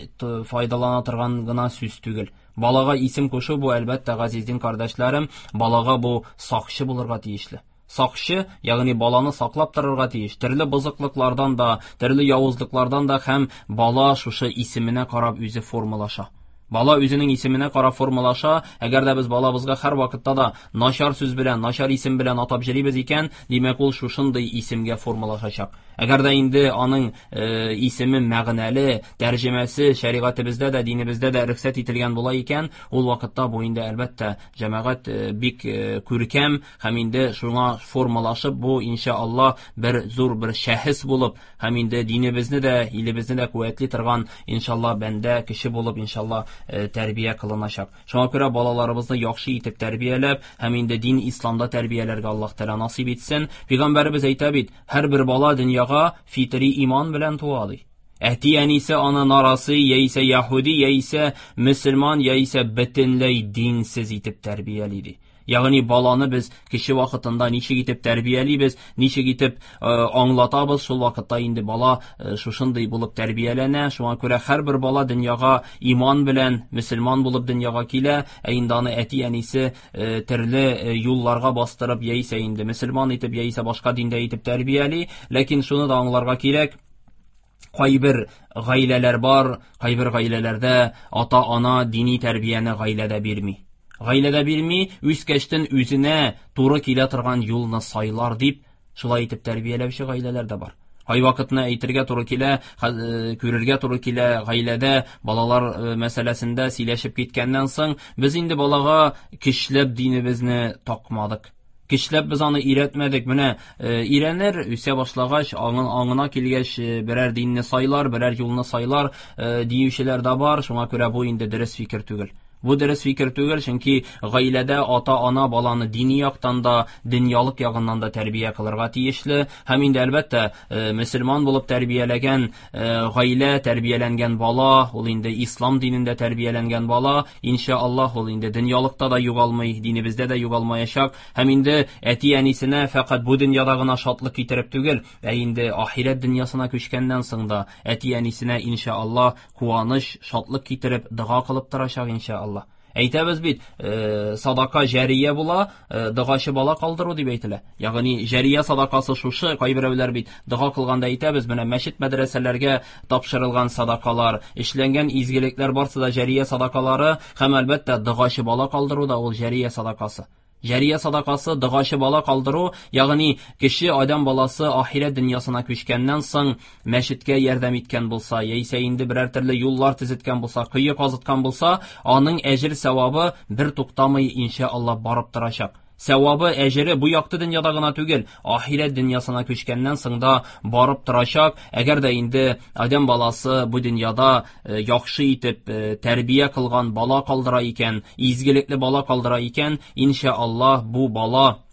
файдалана торган гына сүз түгел. Балага исем кушу бу, әлбәттә, газиздин кардәшләрем, балага бу сакчы булырга тиешле. Сакчы, ягъни баланы саклап торырга тиеш. Төрле бозыклыклардан да, төрле явызлыклардан да, һәм бала шушы исеменә карап үзе формалаша. Бала үзенең исеменә карап формалаша. Әгәр дә без балабызга һәр вакытта да начар сүз белән, начар исем белән атап җөрибез икән, димәк ул шушындый исемгә формалашачак. Әгәр дә инде аның э, исеме мәгънәле, тәрҗемәсе шәригатебездә дә, динебездә дә рөхсәт ителгән була икән, ул вакытта бу инде әлбәттә җәмәгать э, бик э, күркәм һәм инде шуңа формалашып, бу иншалла бер зур бер шәхес булып, һәм инде динебезне дә, илебезне дә куәтли торган иншалла бәндә кеше булып иншалла тәрбия кылыначак. Шуңа күрә балаларыбызны яхшы итеп тәрбияләп, һәм инде дин исламда тәрбияләргә Аллаһ Тәгалә насыйп итсен. Пәйгамбәребез әйтә бит, һәрбер бала дөньяга фитри иман белән туа ди. Әти-әнисе аны нарасый, яисә яһүди, яисә мөселман, яисә бөтенләй динсез итеп тәрбияли ди. Ягъни баланы без кеше вакытында ничек итеп тәрбиялибез, ничек итеп э, аңлатабыз, шул вакытта инде бала э, шушындый булып тәрбияләнә. Шуңа күрә һәрбер бала дөньяга иман белән, мөселман булып дөньяга килә, ә инде аны әти-әнисе э, төрле э, юлларга бастырып, яисә инде мөселман итеп, яисә башка диндә итеп тәрбияли. Ләкин шуны да аңларга кирәк, кайбер гаиләләр бар, кайбер гаиләләрдә ата-ана дини тәрбияне гаиләдә бирми. Гаиләдә бирми, үскәчтен үзенә туры килә торган юлны сайлар дип, шулай итеп тәрбияләүче гаиләләр дә бар. Кайвакытны әйтергә туры килә, күрергә туры килә, гаиләдә балалар мәсьәләсендә сөйләшеп киткәннән соң, без инде балага көчләп динебезне такмадык. Көчләп без аны өйрәтмәдек. Менә өйрәнер, үсә башлагач, аңына килгәч, берәр динне сайлар, берәр юлны сайлар диючеләр дә бар. Шуңа күрә бу инде дөрес фикер түгел. Бу дөрес фикер түгел, чөнки гаиләдә ата-ана баланы дини яктан да, дөньялык ягыннан да тәрбия кылырга тиешле. Һәм инде әлбәттә, мөселман булып тәрбияләгән гаилә, тәрбияләнгән бала, ул инде ислам динендә тәрбияләнгән бала, иншаллаһ, ул инде дөньялыкта да югалмый, динебездә дә югалмаячак. Һәм инде әти-әнисенә фәкать бу дөньяда гына шатлык китереп түгел, ә инде ахирәт дөньясына күчкәннән соң да әти-әнисенә иншаллаһ куаныч, шатлык китереп дога кылып торачак иншаллаһ. Әйтәбез бит, э, садака җәрия була, э, догачы бала калдыру дип әйтелә. Ягъни җәрия садакасы шушы, кайберәүләр бит дога кылганда әйтәбез, менә мәчет мәдрәсәләргә тапшырылган садакалар, эшләнгән изгелекләр барсы да җәрия садакалары, һәм әлбәттә догачы бала калдыру да ул җәрия садакасы. Җәрия садакасы, догачы бала калдыру, ягъни кеше адәм баласы ахирәт дөньясына күчкәннән соң мәчеткә ярдәм иткән булса, яисә инде берәр төрле юллар төзеткән булса, кое казыткан булса, аның әҗер савабы бер туктамый иншаллаһ барып торачак. Савабы, әҗере бу якты дөньяда гына түгел, ахирәт дөньясына күчкәннән соң да барып торачак. Әгәр дә инде адәм баласы бу дөньяда яхшы итеп тәрбия кылган бала калдыра икән, изгелекле бала калдыра икән, иншаллаһ бу бала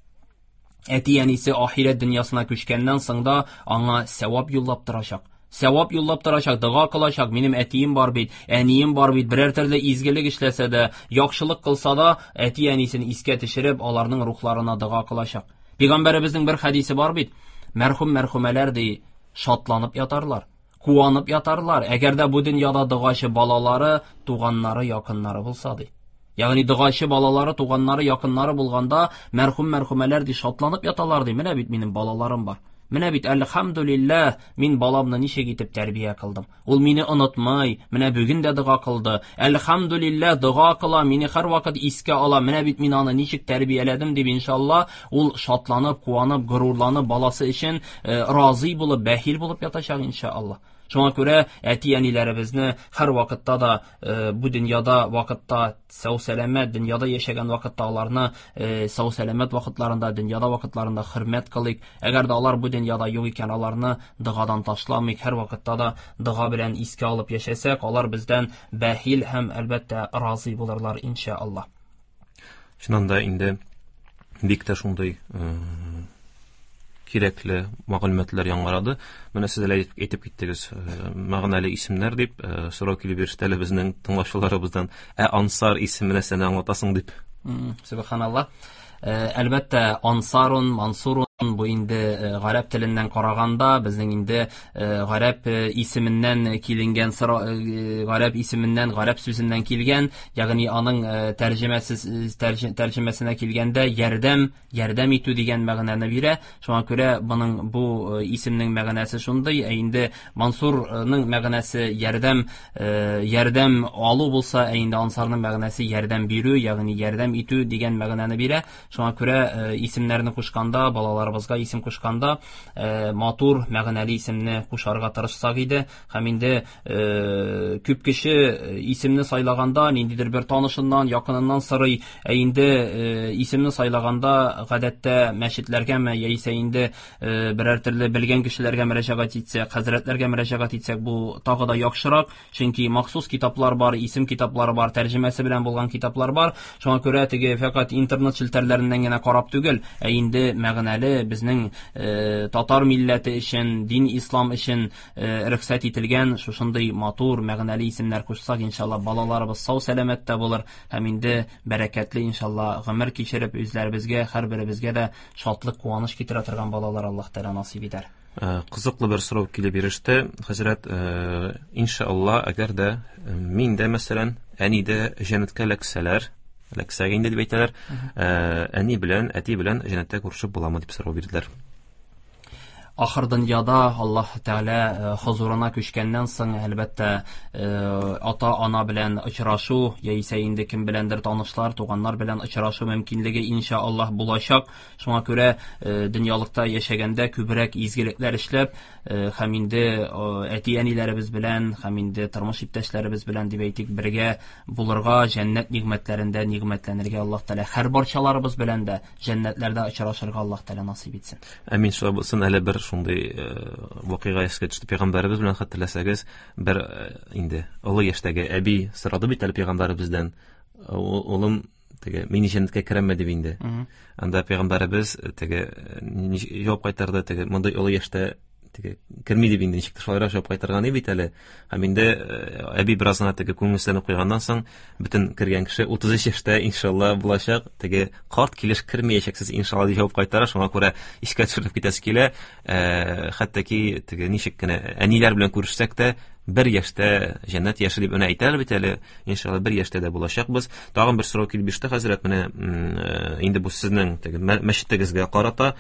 әти-әнисе ахирәт дөньясына күчкәннән соң да аңа савап юллап торачак. Савап юллап торачак, дога кылачак, минем әтием бар бит, әнием бар бит, берәр төрле изгелек эшләсә дә, яхшылык кылса да, әти-әнисен искә төшереп, аларның рухларына дога кылачак. Пәйгамбәребезнең бер хәдисе бар бит, мәрхүм мәрхүмәләр ди, шатланып ятарлар, куанып ятарлар, әгәр дә бу дөньяда догачы балалары, туганнары, якыннары булса ди. Ягъни догачы балалары, туганнары, якыннары булганда, мәрхүм мәрхүмәләр ди, шатланып яталар ди, менә бит минем балаларым бар. Менә бит әлхәмдүлилләһ, мин баламны ничек итеп тәрбия кылдым. Ул мине онытмый, менә бүген дә дога кылды. Әлхәмдүлилләһ, дога кыла, мине һәрвакыт искә ала. Менә бит мин аны ничек тәрбияләдем дип иншалла, ул шатланып, куанып, горурланып, баласы өчен разый булып, бәхил булып ятачак иншалла. Шуңа күрә әти-әниләребезне һәр вакытта да бу дөньяда вакытта сау-сәламәт, дөньяда яшәгән вакытта аларны сау-сәламәт вакытларында, дөньяда вакытларында хөрмәт кылыйк. Әгәр дә алар бу дөньяда юк икән, аларны догадан ташламыйк. Һәр вакытта да дога белән искә алып яшәсәк, алар бездән бәхил һәм әлбәттә разый булырлар иншалла. Чыннан да инде бик тә шундый кирәкле мәгълүматлар яңгырады. Менә сез әле әйтеп киттегез, мәгънәле исемнәр дип, сорау килеп иреште әле безнең тыңлаучыларыбыздан. Ә Ансар исеме нәрсәне аңлатасың дип. Субханаллаһ. Әлбәттә, Ансарун, Мансурун бу инде гарәп теленнән караганда безнең инде гарәп исеменнән киленгән, гарәп исеменнән, гарәп сүзеннән килгән, ягъни аның тәрҗемәсе тәрҗемәсенә килгәндә ярдәм, ярдәм итү дигән мәгънәне бирә. Шуңа күрә моның бу исемнең мәгънәсе шундый. Ә инде Мансурның мәгънәсе ярдәм, ярдәм алу булса, ә инде Ансарның мәгънәсе ярдәм бирү, ягъни ярдәм итү дигән мәгънәне бирә. Шуңа күрә исемнәрне кушканда, балаларыбызга исем кушканда матур, мәгънәле исемне кушарга тырышсак иде. Һәм инде күп кеше исемне сайлаганда ниндидер бер танышыннан, якыныннан сорый. Ә инде исемне сайлаганда гадәттә мәчетләргәме яисә инде берәр төрле белгән кешеләргә мөрәҗәгать итсәк, хәзрәтләргә мөрәҗәгать итсәк, бу тагы да яхшырак, чөнки махсус китаплар бар, исем китаплары бар, тәрҗемәсе белән булган китаплар бар. Шуңа күрә теге фәкать интернет челтәрләреннән генә карап түгел, ә инде мәгънәле безнең э, татар милләте өчен, дин ислам өчен э, рөхсәт ителгән шушындый матур, мәгънәле исемнәр кушсак, иншалла балаларыбыз сау сәламәттә булыр һәм инде бәрәкәтле иншалла гомер кичереп үзләребезгә, һәрберебезгә дә шатлык, куаныч китерә торган балалар Аллаһ Тәгалә насыйп итәр. Кызыклы бер сорау килеп иреште. Хәзрәт, иншалла, әгәр дә мин дә, мәсәлән, әни дә җәннәткә эләксәләр, эләксәк инде дип әйтәләр, әни белән, әти белән җәннәттә күрешеп буламы дип сорау бирделәр. Ахыр дөньяда Аллаһ Тәгалә хозурына күчкәннән соң, әлбәттә, ата-ана белән очрашу, яисә инде кем беләндер танышлар, туганнар белән очрашу мөмкинлеге иншаллаһ булачак. Шуңа күрә дөньялыкта яшәгәндә күбрәк изгелекләр эшләп, һәм инде әти-әниләребез белән, һәм инде тормыш иптәшләребез белән дип әйтик, бергә булырга, җәннәт нигъмәтләрендә нигъмәтләнергә Аллаһ Тәгалә һәр барчаларыбыз белән дә җәннәтләрдә очрашырга Аллаһ Тәгалә насыйп итсен. Амин. Шулай булсын. Әле бер шундый вакыйга искә төште. Пәйгамбәребез белән хәтерләсәгез, бер инде олы яшьтәге әби сорады бит әле пәйгамбәребездән: "Улым, теге мин җәннәткә керәмме?" дип инде. Анда пәйгамбәребез теге җавап кайтарды, теге мондый олы яшьтә теге керми дип инде, ничек шулайрак җавап кайтарган бит әле. Һәм инде әби бераз гына теге күңелсезләнеп куйганнан соң, бөтен кергән кеше утыз өч яшьтә иншалла булачак, теге карт килеш кермәячәксез иншалла дип җавап кайтара. Шуңа күрә искә төшереп китәсе килә, хәтта ки теге ничек кенә әниләр белән күрешсәк тә, бер яшьтә җәннәт яше дип менә әйтәләр бит әле, иншалла бер яшьтә дә булачакбыз. Тагын бер сорау килеп иреште, хәзрәт, менә инде бу сезнең теге мәчетегезгә карата,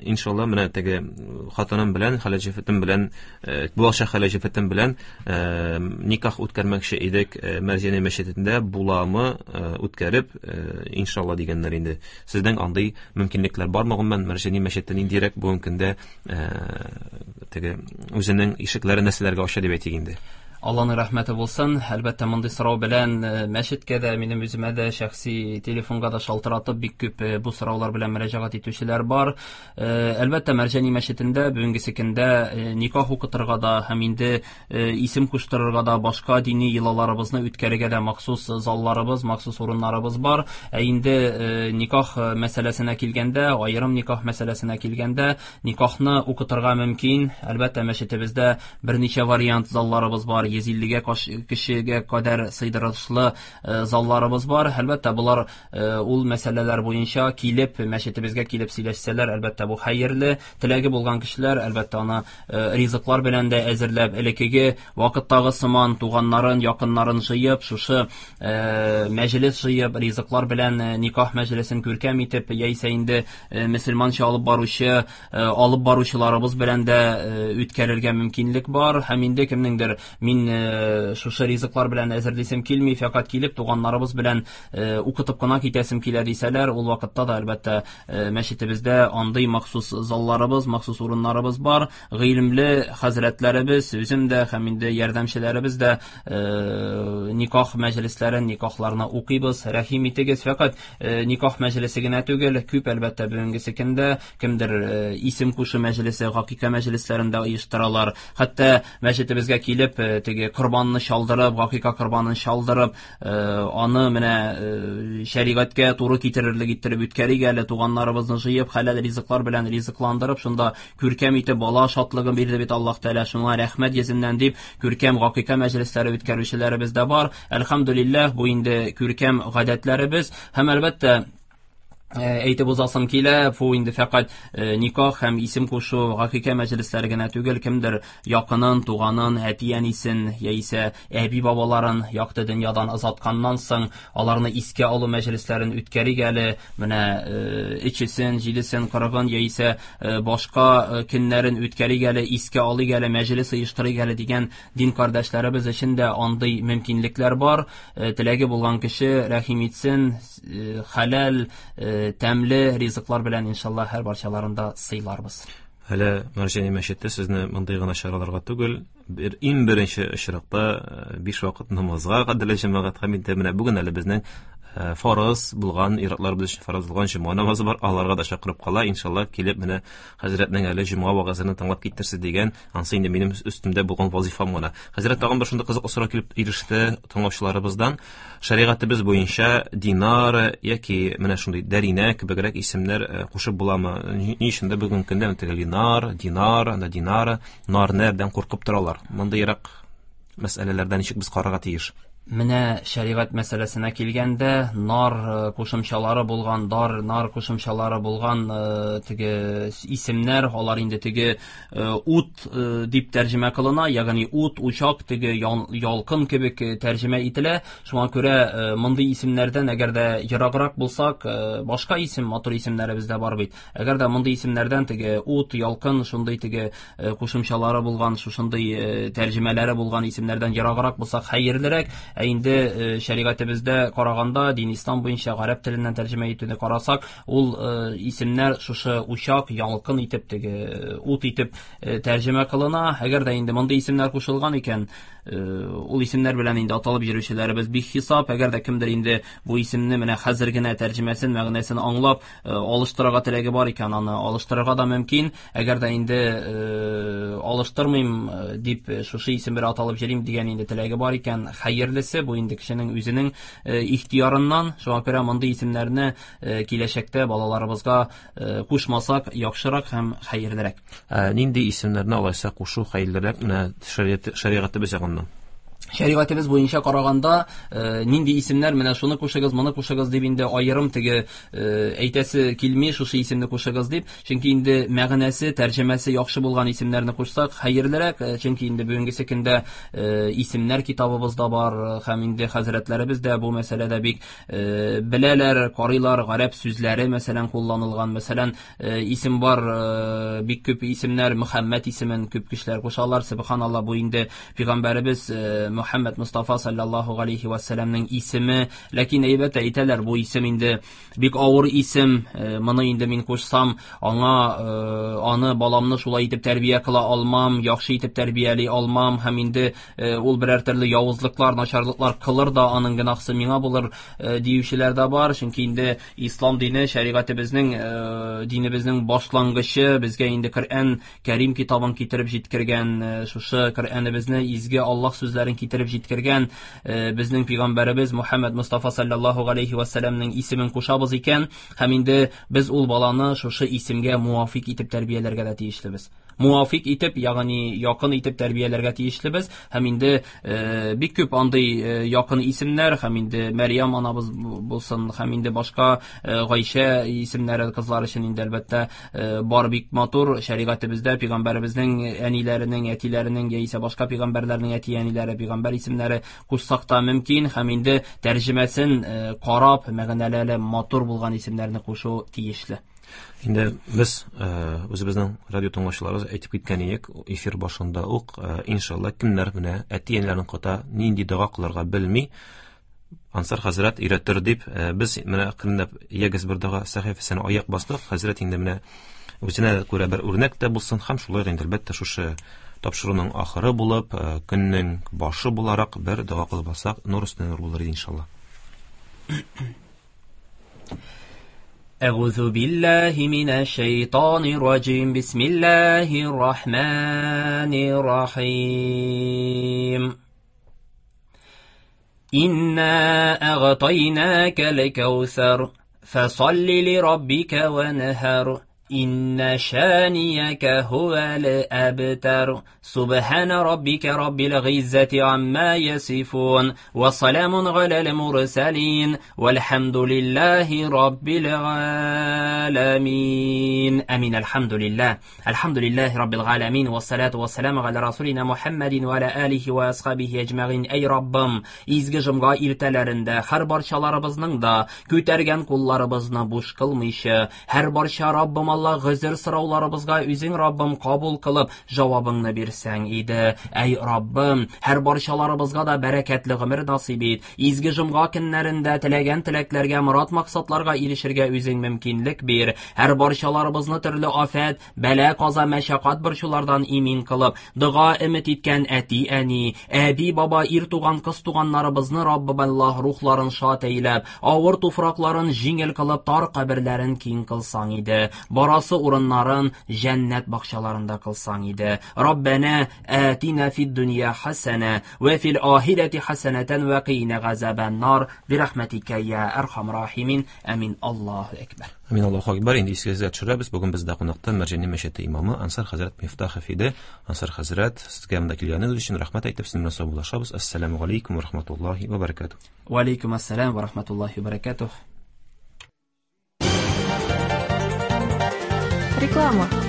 иншалла менә теге хатыным белән, хәләл җефетем белән, булачак хәләл җефетем белән никах үткәрмәкче идек Мәрҗани мәчетендә, буламы үткәреп, иншалла дигәннәр инде. Сезнең андый мөмкинлекләр бармы? Гомумән, Мәрҗани мәчете ниндирәк бүгенге көндә теге үзенең ишекләрен нәрсәләргә ача дип әйтик инде? Алланың рәхмәте булсын. Әлбәттә, мондый сорау белән мәчеткә дә, минем үземә дә, шәхси телефонга да шалтыратып бик күп бу сораулар белән мөрәҗәгать итүчеләр бар. Әлбәттә, Мәрҗани мәчетендә бүгенге көндә никах укытырга да һәм инде исем куштырырга да, башка дини йолаларыбызны үткәрергә дә махсус залларыбыз, махсус урыннарыбыз бар. Ә инде никах мәсьәләсенә килгәндә, аерым никах мәсьәләсенә килгәндә, никахны укытырга мөмкин. Әлбәттә, мәчетебездә берничә вариант залларыбыз бар. йөз иллегә кешегә кадәр сыйдырышлы залларыбыз бар. Әлбәттә, булар ул мәсьәләләр буенча килеп, мәчетебезгә килеп сөйләшсәләр, әлбәттә, бу хәерле. Теләге булган кешеләр, әлбәттә, аны ризыклар белән дә әзерләп, элеккеге вакыттагы сыман туганнарын, якыннарын җыеп, шушы мәҗлес җыеп, ризыклар белән никах мәҗлесен күркәм итеп, яисә инде мөселманча алып баручы, алып баручыларыбыз белән дә үткәрергә мөмкинлек бар. Һәм инде кемнеңдер мин шушы ризыклар белән әзерлисем килми, фәкать килеп туганнарыбыз белән укытып кына китәсем килә дисәләр, ул вакытта да әлбәттә мәчетебездә андый махсус залларыбыз, махсус урыннарыбыз бар. Гыйлемле хәзрәтләребез, үзем дә һәм инде ярдәмчеләребез дә никах мәҗлесләрен, никахларны укыйбыз. Рәхим итегез. Фәкать никах мәҗлесе генә түгел, күп әлбәттә бүгенге көндә кемдер исем кушу мәҗлесе, гакыйка мәҗлесләрен дә оештыралар. Хәтта мәчетебезгә килеп теге корбанны чалдырып, гакыйка корбанын чалдырып, аны менә шәригатькә туры китерерлек иттереп үткәрик әле, туганнарыбызны җыеп, хәләл ризыклар белән ризыкландырып, шунда күркәм итеп бала шатлыгын бирде бит Аллаһ Тәгалә, шуңа рәхмәт йөзеннән дип күркәм гакыйка мәҗлесләре үткәрүчеләребез дә бар. Әлхәмдүлилләһ, бу инде күркәм гадәтләребез һәм әлбәттә әйтеп узасым килә, бу инде фәкать никах һәм исем кушу гакыйка мәҗлесләре генә түгел, кемдер якынын, туганын, әти-әнисен яисә әби-бабаларын якты дөньядан озатканнан соң аларны искә алу мәҗлесләрен үткәрик әле, менә өчесен, җидесен, кырыгын яисә башка көннәрен үткәрик әле, искә алыйк әле, мәҗлес оештырыйк әле дигән дин кардәшләребез өчен дә андый мөмкинлекләр бар. Теләге булган кеше рәхим итсен, хәләл, тәмле ризыклар белән иншалла һәр барчаларында сыйларбыз. Әле Мәрҗани мәчете сезне мондый гына чараларга түгел, бер иң беренче очракта биш вакыт намазга кадәрле җәмәгать һәм инде менә бүген әле безнең фарыз булган, ир-атларыбыз өчен фарыз булган җомга намазы бар, аларга да чакырып кала, иншалла килеп менә хәзрәтнең әле җомга вәгазен тыңлап китерсез дигән, ансы инде минем өстемдә булган вазифам гына. Хәзрәт, тагын бер шундый кызык сорау килеп иреште тыңлаучыларыбыздан. Шәригатебез буенча Динар яки менә шундый Дәринә кебегрәк исемнәр кушып буламы? Ни өчен дә бүгенге көндә теге Линар, Динар, анда Динара, Нарнәрдән куркып торалар. Мондыйрак мәсьәләләрдән ничек без карарга тиеш? Менә шәригать мәсьәләсенә килгәндә, нар кушымчалары булган, дар, нар кушымчалары булган теге исемнәр, алар инде теге ут дип тәрҗемә кылына, ягъни ут, учак, теге ялкын кебек тәрҗемә ителә. Шуңа күрә мондый исемнәрдән әгәр дә ераграк булсак, башка исем, матур исемнәребез дә бар бит. Әгәр дә мондый исемнәрдән теге ут, ялкын, шундый теге кушымчалары булган, шушындый тәрҗемәләре булган исемнәрдән ераграк булсак, хәерлерәк. Ә инде шәригатебездә караганда, дин ислам буенча гарәп теленнән тәрҗемә итүне карасак, ул исемнәр шушы учак, ялкын итеп, теге ут итеп тәрҗемә кылына. Әгәр дә инде мондый исемнәр кушылган икән, ул исемнәр белән инде аталып йөрүчеләребез бик хисап. Әгәр дә кемдер инде бу исемне менә хәзер генә тәрҗемәсен, мәгънәсен аңлап алыштырырга теләге бар икән, аны алыштырырга да мөмкин. Әгәр дә инде алыштырмыйм дип шушы исем белән аталып йөрим дигән инде теләге бар икән, хәерлесе бу инде кешенең үзенең ихтиярыннан. Шуңа күрә мондый исемнәрне киләчәктә балаларыбызга кушмасак яхшырак һәм хәерлерәк. Нинди исемнәрне алайса кушу хәерлерәк менә шәригатебез ягыннан? Шәригатебез буенча караганда, нинди исемнәр, менә шуны кушыгыз, моны кушыгыз дип инде аерым теге әйтәсе килми, шушы исемне кушыгыз дип. Чөнки инде мәгънәсе, тәрҗемәсе яхшы булган исемнәрне кушсак хәерлерәк. Чөнки инде бүгенге көндә исемнәр китабыбызда бар һәм инде хәзрәтләребез дә бу мәсьәләдә бик беләләр, карыйлар, гарәп сүзләре мәсәлән кулланылган. Мәсәлән, исем бар, бик күп исемнәр, Мөхәммәд исемен күп кешеләр кушалар. Субханалла, бу инде пәйгамбәребез Мөхәммәд Мустафа саллаллаһу алейхи ва сәлламның исеме. Ләкин әйбәт әйтәләр, бу исем инде бик авыр исем, моны инде мин кушсам, аңа аны баламны шулай итеп тәрбия кыла алмам, яхшы итеп тәрбияли алмам һәм инде ул берәр төрле явызлыклар, начарлыклар кылыр да, аның гөнаһсы миңа булыр диючеләр дә бар. Чөнки инде ислам дине, шәригатебезнең, динебезнең башлангычы, безгә инде Коръән Кәрим китабын китереп җиткергән, шушы Коръәнебезне, изге Аллаһ сүзләрен китереп җиткергән безнең пәйгамбәребез Мөхәммәд Мустафа саллаллаһу алейхи ва сәлламның исемен кушабыз икән, һәм инде без ул баланы шушы исемгә муафик итеп тәрбияләргә дә тиешлебез. Муафик итеп, ягъни якын итеп тәрбияләргә тиешлебез. Һәм инде бик күп андый якын исемнәр, һәм инде Мәрьям анабыз булсын, һәм инде башка Гайшә исемнәре кызлар өчен инде әлбәттә бар бик матур шәригатебездә пәйгамбәребезнең әниләренең, әтиләренең яисә башка пәйгамбәрләрнең әти-әниләре, пәйгамбәр исемнәре кушсак та мөмкин. Һәм инде тәрҗемәсен карап, мәгънәләре матур булган исемнәрне кушу тиешле. Инде без үзебезнең радио тыңлаучыларыбыз әйтеп киткән идек эфир башында ук, иншалла, кемнәр менә әти-әниләренең ката нинди дога кылырга белми, Ансар хәзрәт өйрәтер дип, без менә әкренләп ягез бер дога сәхифәсенә аяк бастык. Хәзрәт инде менә үзенә күрә бер үрнәк тә булсын һәм шулай инде әлбәттә шушы тапшыруның ахыры булып, көннең башы буларак бер дога кылып алсак, нур өстенә нур булыр иде иншалла. أعوذ بالله من الشيطان الرجيم. بسم الله الرحمن الرحيم. إنا أغطيناك الكوثر فصل لربك وانهر إن شانيك هو الأبتر. سبحان ربك رب العزة عما يصفون وسلام على المرسلين والحمد لله رب العالمين. أمين. الحمد لله، الحمد لله رب العالمين والصلاة والسلام على رسولنا محمد وعلى آله وأصحابه أجمعين. Ey Rabbim, изге җомга иртәләрендә һәр барчаларыбызның да күтәргән кулларыбызны буш кылмыйча, һәр барча Раббым Алла гозер сорауларыбызга үзең Раббым кабул кылып җавабыңны бирсәң иде. Әй Раббым, һәр барчаларыбызга да бәрәкәтле гомер насыйп ит. Изге җомга көннәрендә теләгән теләкләргә, морад максатларга ирешергә үзең мөмкинлек бир. Һәр барчаларыбызны төрле афәт, бәла, каза, мәшәкать борчулардан имин кылып, дога өмет иткән әти-әни, әби, баба, ир туган, кыз туганнарыбызны Раббым Аллаһ рухларын шат әйләп, авыр туфракларын җиңел кылып, тар каберләрен киң кылсаң иде. Барасы урыннарын җәннәт бакчаларында кылсаң иде. Раббана атина фид дөнья хасана ва фил ахирати хасанатан ва қина газабан нар би рахматика я архам рахимин. Амин. Аллаһу акбар. Амин. Аллаһу акбар. Инде исегезгә төшерәбез. Бүген бездә кунакта Мәрҗани мәчете имамы Ансар хәзрәт Мифтахов иде. Ансар хәзрәт, сезгә монда килгәнегез өчен рәхмәт әйтеп, сезнең белән саубуллашабыз. Ассаламу алейкум ва рахматуллаһи ва баракатуһ. Ва алейкум ассалам ва рахматуллаһи ва баракатуһ. Реклама.